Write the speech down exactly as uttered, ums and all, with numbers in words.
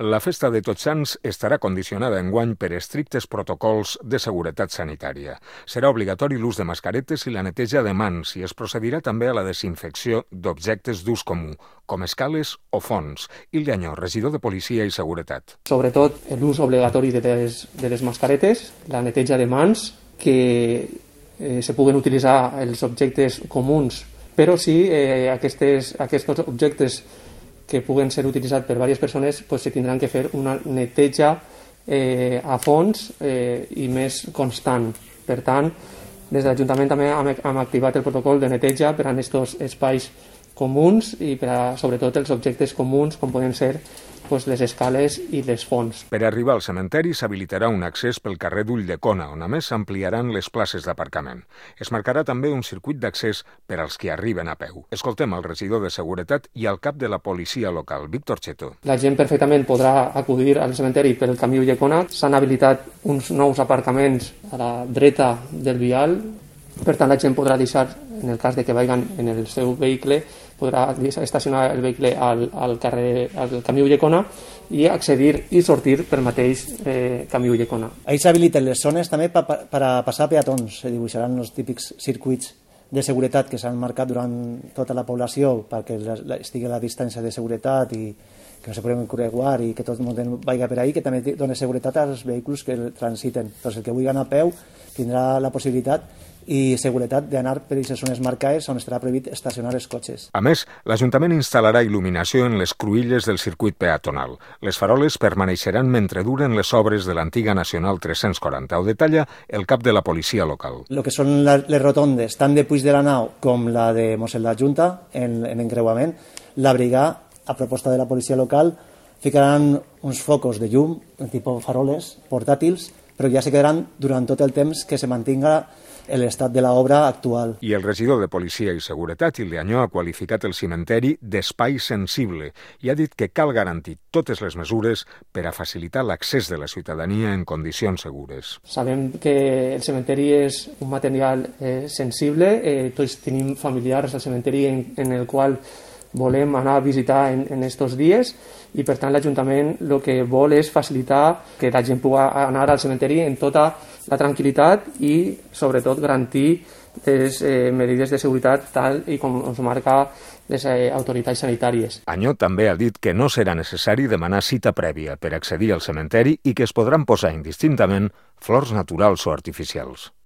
La festa de Tots Sants estarà condicionada enguany per estrictes protocols de seguretat sanitària. Serà obligatori l'ús de mascaretes i la neteja de mans i es procedirà també a la desinfecció d'objectes d'ús comú, com escales o fonts. Ilya Añó, regidor de Policia i Seguretat. Sobretot l'ús obligatori de les, de les mascaretes, la neteja de mans, que eh, se puguen utilitzar els objectes comuns, però sí eh, aquestes, aquests objectes que puguen ser utilitzats per diverses persones, pues, se tindran que fer una neteja eh, a fons eh, i més constant. Per tant, des de l'Ajuntament també hem, hem activat el protocol de neteja per a aquests espais comuns i per a, sobretot, els objectes comuns, com poden ser pues, les escales i les fonts. Per arribar al cementeri s'habilitarà un accés pel carrer d'Ulldecona, on a més s'ampliaran les places d'aparcament. Es marcarà també un circuit d'accés per als que arriben a peu. Escoltem el regidor de Seguretat i el cap de la policia local, Víctor Cheto. La gent perfectament podrà acudir al cementeri pel camí Ulldecona. S'han habilitat uns nous aparcaments a la dreta del vial. Per tant, la gent podrà deixar, en el cas de que vagin en el seu vehicle, podrà estacionar el vehicle al, al, carrer, al camí Ulldecona i accedir i sortir pel mateix eh, camí Ulldecona. Ahí s'habiliten les zones també per pa, pa, passar peatons. Se dibuixaran els típics circuits de seguretat que s'han marcat durant tota la població perquè estigui a la distància de seguretat i que no se puguin creuar i que tot el món vagi per ahí, que també dona seguretat als vehicles que transiten. Doncs el que vulgui anar a peu tindrà la possibilitat i seguretat d'anar per aquestes zones marcades on estarà prohibit estacionar els cotxes. A més, l'Ajuntament instal·larà il·luminació en les cruïlles del circuit peatonal. Les faroles permaneixeran mentre duren les obres de l'antiga Nacional tres-cents quaranta. Ho detalla el cap de la policia local. El que són les rotondes, tant de Puig de la Nau com la de Mossèn la Junta, en, en encreuament, la brigada, a proposta de la policia local, ficaran uns focus de llum, tipus faroles, portàtils, però ja se quedaran durant tot el temps que se mantinga l'estat de l'obra actual. I el regidor de Policia i Seguretat, Ilya Añó, ha qualificat el cimenteri d'espai sensible i ha dit que cal garantir totes les mesures per a facilitar l'accés de la ciutadania en condicions segures. Sabem que el cementeri és un material eh, sensible, eh, tots tenim familiars al cementeri en, en el qual volem anar a visitar en, en estos dies i per tant l'Ajuntament el que vol és facilitar que la gent pugui anar al cementeri en tota la tranquil·litat i sobretot garantir les eh, medides de seguretat tal i com ens marca les eh, autoritats sanitàries. Añó també ha dit que no serà necessari demanar cita prèvia per accedir al cementeri i que es podran posar indistintament flors naturals o artificials.